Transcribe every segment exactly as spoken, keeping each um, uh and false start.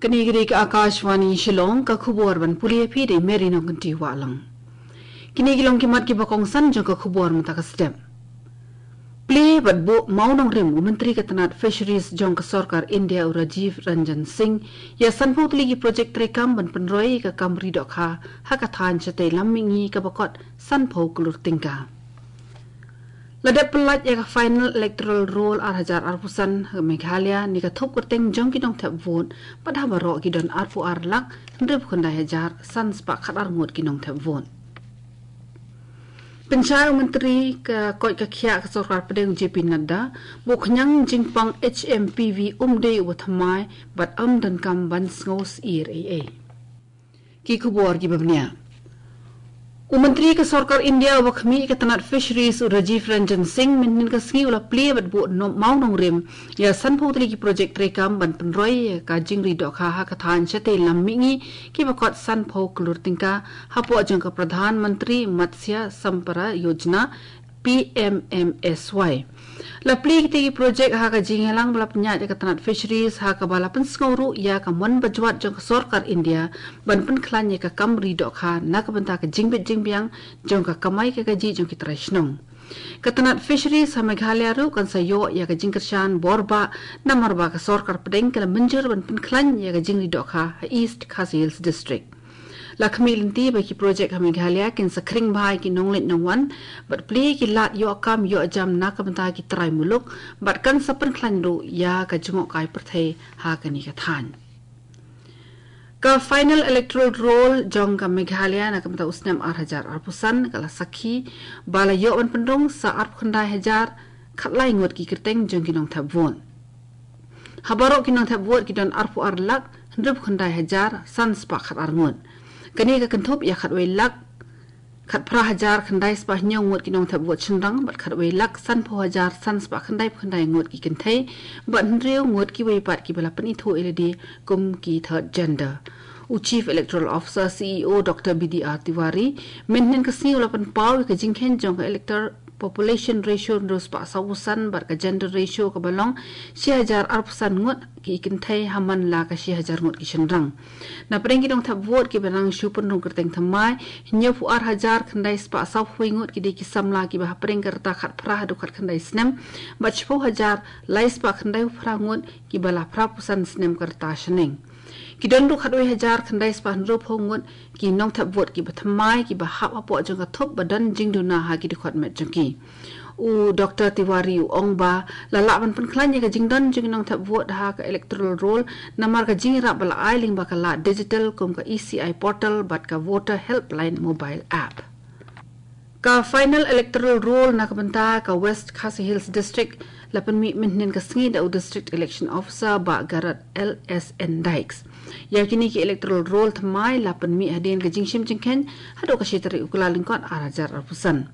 Kane ka dei ka Akashvani Shillong, ka khubor ban pule ïa phi da i Mary Nongkynrih Wahlang. Kine ki long ki mat kiba kongsan jong ka khubor mynta ka step. Plie bad buh mawnongrim u Myntri ka tnat Fisheries jong ka sorkar India u Rajiv Ranjan Singh ïa sanphew tylli ki projek treikam ban pynroi ïa ka kam ri dohkha ha ka thaiñ shatei lam mihngi kaba kot sanphew klur tyngka. La dep pyllait ïa ka final electoral roll ar hajar arphew san ha Meghalaya ne ka thup kyrteng jong ki nongthep vote, bad ha baroh ki don arphew ar lak hynriewphew khyndai hajar san spah khatar ngut ki nongthep vote. Pynshai u Myntri ka koit ka khiah ka sorkar pdeng u J P Nadda, ba u khñiang jingpang H M P V um dei uba thymmai bad ym donkam ban sngew syier ei ei. Ki khubor kiba bniah. U Myntri ka sorkar India uba khmih ïa ka tnat Fisheries u Rajiv Ranjan Singh mynhynnin ka sngi u la plie bad buh mawnongrim ïa sanphew tylli ki projek treikam ban pynroi ïa ka jingri dohkha ha ka thaiñ shatei lam mihngi kiba kot sanphew klur tyngka hapoh jong ka Pradhan Mantri Matsya Sampada Yojana, P M M S Y. La plie kita ki projek ha ka jingïalang ba la pynïaid da ka tnat Fisheries ha kaba la pynsngew ruh ïa ka mon bajwat jong ka sorkar India ban pynkhlaiñ ïa ka kam ri dohkha na ka bynta ka jingbit jingbiang jong ka kamai ka kajih jong ki trai shnong. Ka tnat Fisheries ha Meghalaya ruh kan sa ïoh ïa ka jingkyrshan borbah namar ba ka sorkar pdeng ka la mynjur ban pynkhlaiñ ïa ka jingri dohkha ha East Khasi Hills District. La khmih lynti ba ki projek ha Meghalaya kin sa khring bha ïa ki nongleit nongwan bad plie ïa ki lad ïoh kam ïoh jam na ka bynta ki trai muluk bad kan sa pynkhlaiñ ruh ïa ka jngohkai pyrthei ha kane ka thaiñ. Ka final electoral roll jong ka Meghalaya na ka bynta u snem ar hajar arphew san ka la sakhi ba la ïoh ban pynrung sa arphew khyndai hajar khatlai ngut ki kyrteng jong ki nongthep vote. Ha baroh ki nongthep vote ki don arphew ar lak hynriewphew khyndai hajar san spah khatar ngut. Kane ka kynthup ïa khatwei lak khatphra hajar khyndai spah hynñiew ngut ki nongthep vote shynrang bad khatwei lak sanphew hajar san spah khyndaiphew khyndai ngut ki kynthei bad hynriew ngut kiwei pat kiba la pynithuh ïa lade kum ki third gender. U Chief Electoral Officer, C E O, Doctor B D R Tiwari mynhynnin ka sngi u la pynpaw ïa ka jingkheiñ jong ka elector population ratio hynriew spah sawphew san bad ka gender ratio kaba long shi hajar arphew san ngut ki kynthei ha man la ka shi hajar ngut ki shynrang. Na pdeng ki nongthep vote kiba nang shu pynrung kyrteng thymmai, hynñiewphew ar hajar khyndai spah sawphew wei ngut ki dei ki samla kiba hapdeng ka rta khatphra haduh khatkhyndai snem bad shiphew hajar lai spah khyndaiphew phra ngut kiba la phraphew san snem ka rta shaneng. Ki don ruh khatwei hajar khyndai spah hynriewphew ngut ki nongthep vote kiba thymmai kiba hap hapoh jong ka thup ba don jingduna ha ki dkhot met jong ki. U Doctor Tiwari u ong ba la lah ban pynkhlaiñ ïa ka jingdon jong ki nongthep vote ha ka electoral roll namar ka jingïarap ba la ai lyngba ka lad digital kum ka E C I portal bad ka Voter Helpline mobile app. Ka final electoral roll na ka bynta ka West Khasi Hills District la pynmih mynhynnin ka sngi da u District Election Officer Bah Garod L S N Dykes. Ïa kine ki electoral roll thymmai la pynmih hadien ka jingshim jingkheiñ haduh ka shi tarik u Kyllalyngkot ar hajar arphew san.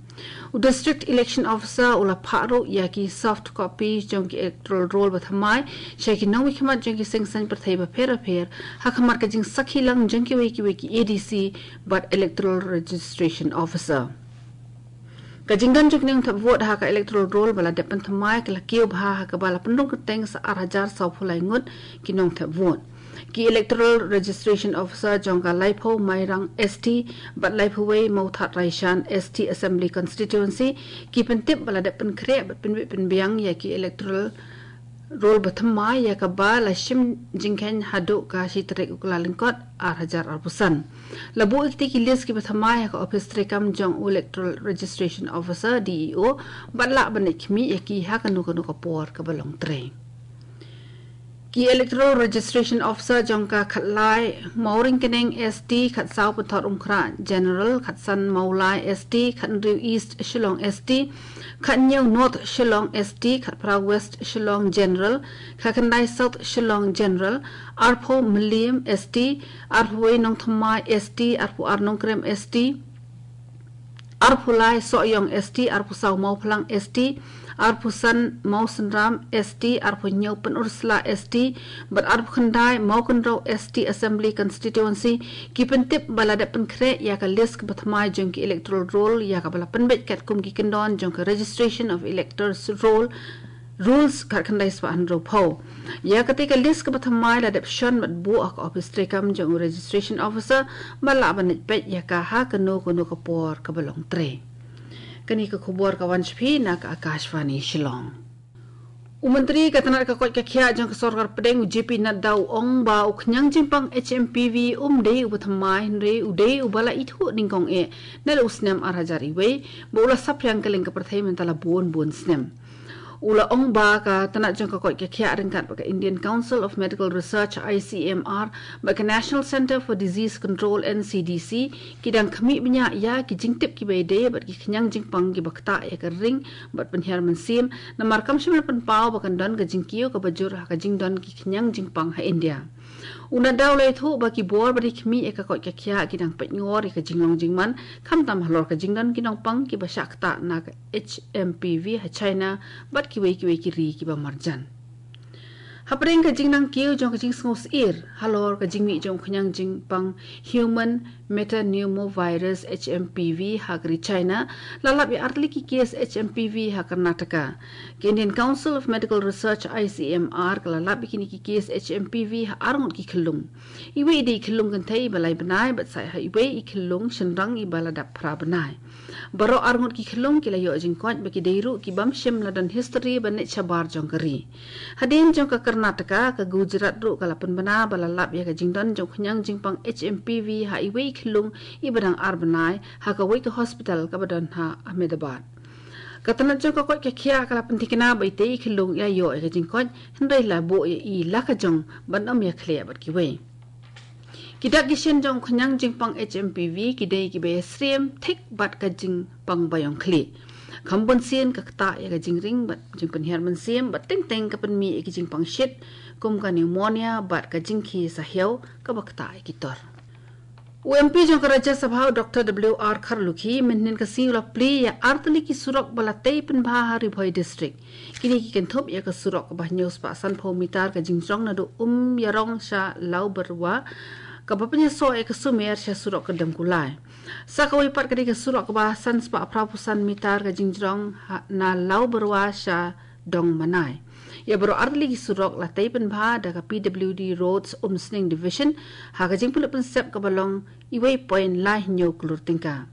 U District Election Officer u la phah ruh ïa ki soft copy jong ki electoral roll ba thymmai sha ki nongmihkhmat jong ki seng saiñ pyrthei bapher bapher ha khmat ka jingsakhi lang jong kiwei kiwei ki A D C bad Electoral Registration Officer. Ka jingdon jong ki nongthep vote ha ka electoral roll ba la dep pynthymmai ka la kiew bha ha kaba la pynrung kyrteng sa ar hajar sawphew lai ngut ki nongthep vote. Ki Electoral Registration Officer jong ka Laiphew Mairang S T bad Laiphew Wei Mawthadraishan S T Assembly Constituency ki pyntip ba la dep pynkhreh bad pynbit pynbiang ïa ki electoral roll ba thymmai ïa kaba la shim jingkheiñ haduh ka shi tarik u Kyllalyngkot ar hajar arphew san. La buh ïa kita ki list kiba thymmai ha ka ophis treikam jong u Electoral Registration Officer, D E O, bad lah ban leit khmih ïa ki ha kano kano ka por kaba long trei. Ki Electoral Registration Officer jong ka khatlai Mawryngkneng S T, khatsaw Pynthorumkhrah General, khatsan Mawlai S T, khathynriew East Shillong S T, khathynñiew North Shillong S T, khatphra West Shillong General, khatkhyndai South Shillong General, arphew Mylliem S T, arphew wei Nongthymmai S T, arphew ar Nongkrem S T, arphew lai Sohiong S T, arphew saw Mawphlang S T, arphew san Mawsynram S T, arphew hynñiew Pynursla S T, bad arphew khyndai Mawkynrew S T Assembly Constituency, ki pyntip ba la dep pynkhreh ïa ka list kaba thymmai jong ki electoral roll ïa kaba la pynbeit katkum ki kyndon jong ka Registration of Electors Roll Rules khatkhyndai spah hynriewphew. Ïa katei ka list kaba thymmai la dep shon bad buh ha ka office treikam jong u registration officer, ba lah ban leit peit ïa ka ha kano kano ka por kaba long trei. Kane ka khubor ka wan sha phi na ka Akashvani Shillong. U Myntri ka tnat ka koit ka khiah jong ka sorkar pdeng u J P Nadda u ong ba u khñiang jingpang H M P V um dei uba thymmai hynrei u dei uba la ithuh nyngkong eh na la u snem ar hajar wei, ba u la saphriang kylleng ka pyrthei mynta la bun bun snem. U la ong ba ka tnat jong ka koit ka khiah ryngkat bad ka Indian Council of Medical Research, I C M R, bad ka National Centre for Disease Control, N C D C, ki dang khmih bniah ïa ki jingtip kiba ïadei bad ki khñiang jingpang kiba ktah ïa ka ring bad pynhiar mynsiem, namar kam shym la pynpaw ba kan don ka jingkiew kaba jur ha ka jingdon ki khñiang jingpang ha India. U Nadda u la ïathuh ba ki bor ba dei khmih ïa ka koit ka khiah ki dang peit ngor ïa ka jinglong jingman, khamtam halor ka jingdon ki nongpang kiba shah ktah na ka H M P V ha China bad kiwei kiwei ki ri kiba marjan. Hapdeng ka jingnang kiew jong ka jingsngew syier halor ka jingmih jong u khñiang jingpang human metapneumovirus, H M P V, ha ka ri China, la lap ïa artylli ki case H M P V ha Karnataka. Ka Indian Council of Medical Research, I C M R, ka la lap ïa kine ki case H M P V ha arngut ki khyllung. Iwei i dei i khyllung kynthei iba lai bnai bad sa ha iwei i khyllung shynrang iba la dap phra bnai. Baroh arngut ki khyllung ki la ïoh jingkoit ba ki dei ruh ki bym shym la don history ban leit shabar jong ka ri. Hadien jong ka Karnataka, ka Gujarat ruh ka la pynbna ba la lap ïa ka jingdon jong u khñiang jingpang H M P V ha iwei i khyllung iba dang ar bnai ha kawei ka hospital kaba don ha Ahmedabad. Ka tnat jong ka koit ka khiah ka la pynthikna ba itei i khyllung i la ïoh ïa ka jingkoit hynrei la buh ïa i la ka jong ban ym ïakhleh bad kiwei. Ki dak ki shin jong u khñiang jingpang H M P V ki dei kiba ïasyriem thik bad ka jingpang baïong khlieh. Kham bun sien ka ktah ïa ka jingring bad jingpynhiar mynsiem bad teng teng ka pynmih ïa ki jingpang shit kum ka pneumonia bad ka jingkhie sahiaw kaba ktah ïa ki tor. U M P jong ka Rajya Sabha u Doctor W R Kharlukhi mynhynnin ka sngi u la plie ïa artylli ki surok ba la tei pynbha ha Ri Bhoi District. Kine ki kynthup ïa ka surok kaba hynñiew spah sanphew mitar ka jingjrong naduh Umïarong sha Lawbyrwa, kaba pynïasoh ïa ka Sumer sha surok ka Demkulai. Sa kawei pat ka dei ka surok kaba san spah phraphew san mitar ka jingjrong ha, na Lawbyrwa sha Dongmanai. Ïa baroh artylli ki surok la tei pynbha da ka P W D Roads Umsning Division ha ka jingpynlut pynsep kaba long iwei point lai hynñiew klur tyngka.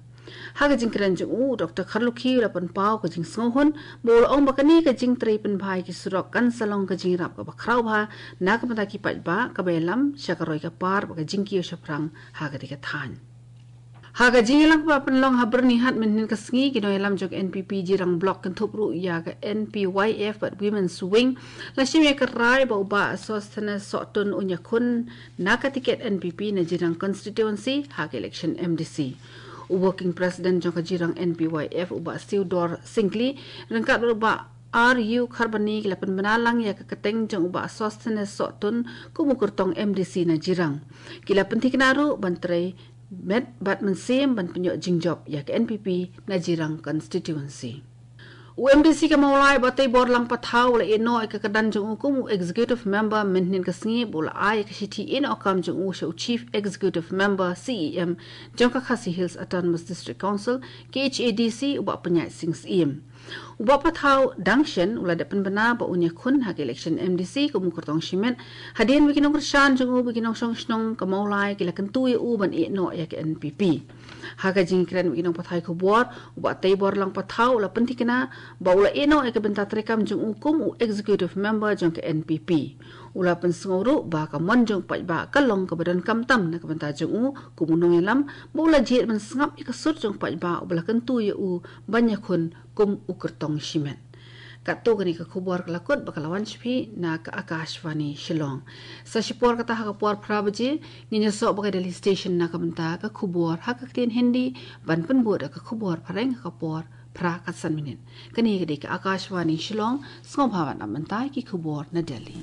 Ha ka jingkren jong u, Doctor Kharlukhi u la pynpaw ka jingsngewhun, ba u la ong ba kane ka jingtrei pynbha ïa ki surok kan sa long ka jingïarap kaba khraw bha na ka bynta ki paidbah, kaba ïalam sha ka roi ka par bad ka jingkiew shaphrang ha katei ka thaiñ. Ha ka jingïalang kaba pynlong ha Byrnihat mynhynnin ka sngi, ki nongïalam jong ka N P P Jirang Block kynthup ruh ïa ka N P Y F bad Women's Wing, la shim ïa ka rai ba u Bah Sosthenes Sohtun un ïakhun na ka tiket N P P na Jirang Constituency ha ka election M D C. U Working President jong ka Jirang N P Y F, u Bah Theodore Syngkli, ryngkat bad u Bah R U Kharbani, ki la pynbna lang ïa ka kyrteng jong u Bah Sosthenes Sohtun kum u kyrtong M D C na Jirang. Ki la pynthikna ruh ban trei met bad mynsiem ban pynïoh jingjop ïa ka N P P na Jirang Constituency. U M D C ka Mawlai, Bah Teibor Lang Pathaw, u la ïehnoh ïa ka kyrdan jong u kum u Executive Member mynhynnin ka sngi, bad u la ai ïa ka shithi ïehnoh kam jong u sha u Chief Executive Member, C E M, jong ka Khasi Hills Autonomous District Council, K H A D C, u Bah Pynïaid Sing Syiem. U Bah Pathaw dang shen u la dep pynbna ba un ïakhun ha ka election M D C kum u kyrtong shimet, hadien ba ki nongkyrshan jong u bad ki nongshong shnong ka Mawlai ki la kyntu ïa u ban ïehnoh ïa ka N P P. Ha ka jingkren bad ki nongpathai khubor, u Bah Teibor Lang Pathaw u la pynthikna ba u la ïehnoh ïa ka bynta treikam jong u kum u Executive Member jong ka N P P. U la pynsngew ruh ba ka mon jong u paidbah ka long kaba donkam tam na ka bynta jong u kum u nongïalam, bad u la jied ban sngap ïa ka sur jong u paidbah uba la kyntu ïa u ban ïakhun kum u kyrtong shimet. Katto katne ka khubor ka la kut bad ka la wan sha phi na ka Akashvani Shillong. Sa shipor kata ha ka por phra baje, ngin ïasoh bad ka Delhi Station na ka bynta ka khubor ha ka ktien Hindi, ban pynbud da ka khubor phareng ha ka por phra khatsan minit. Kane ka dei ka Akashvani Shillong, sngewbha ban ap mynta ki khubor na Delhi.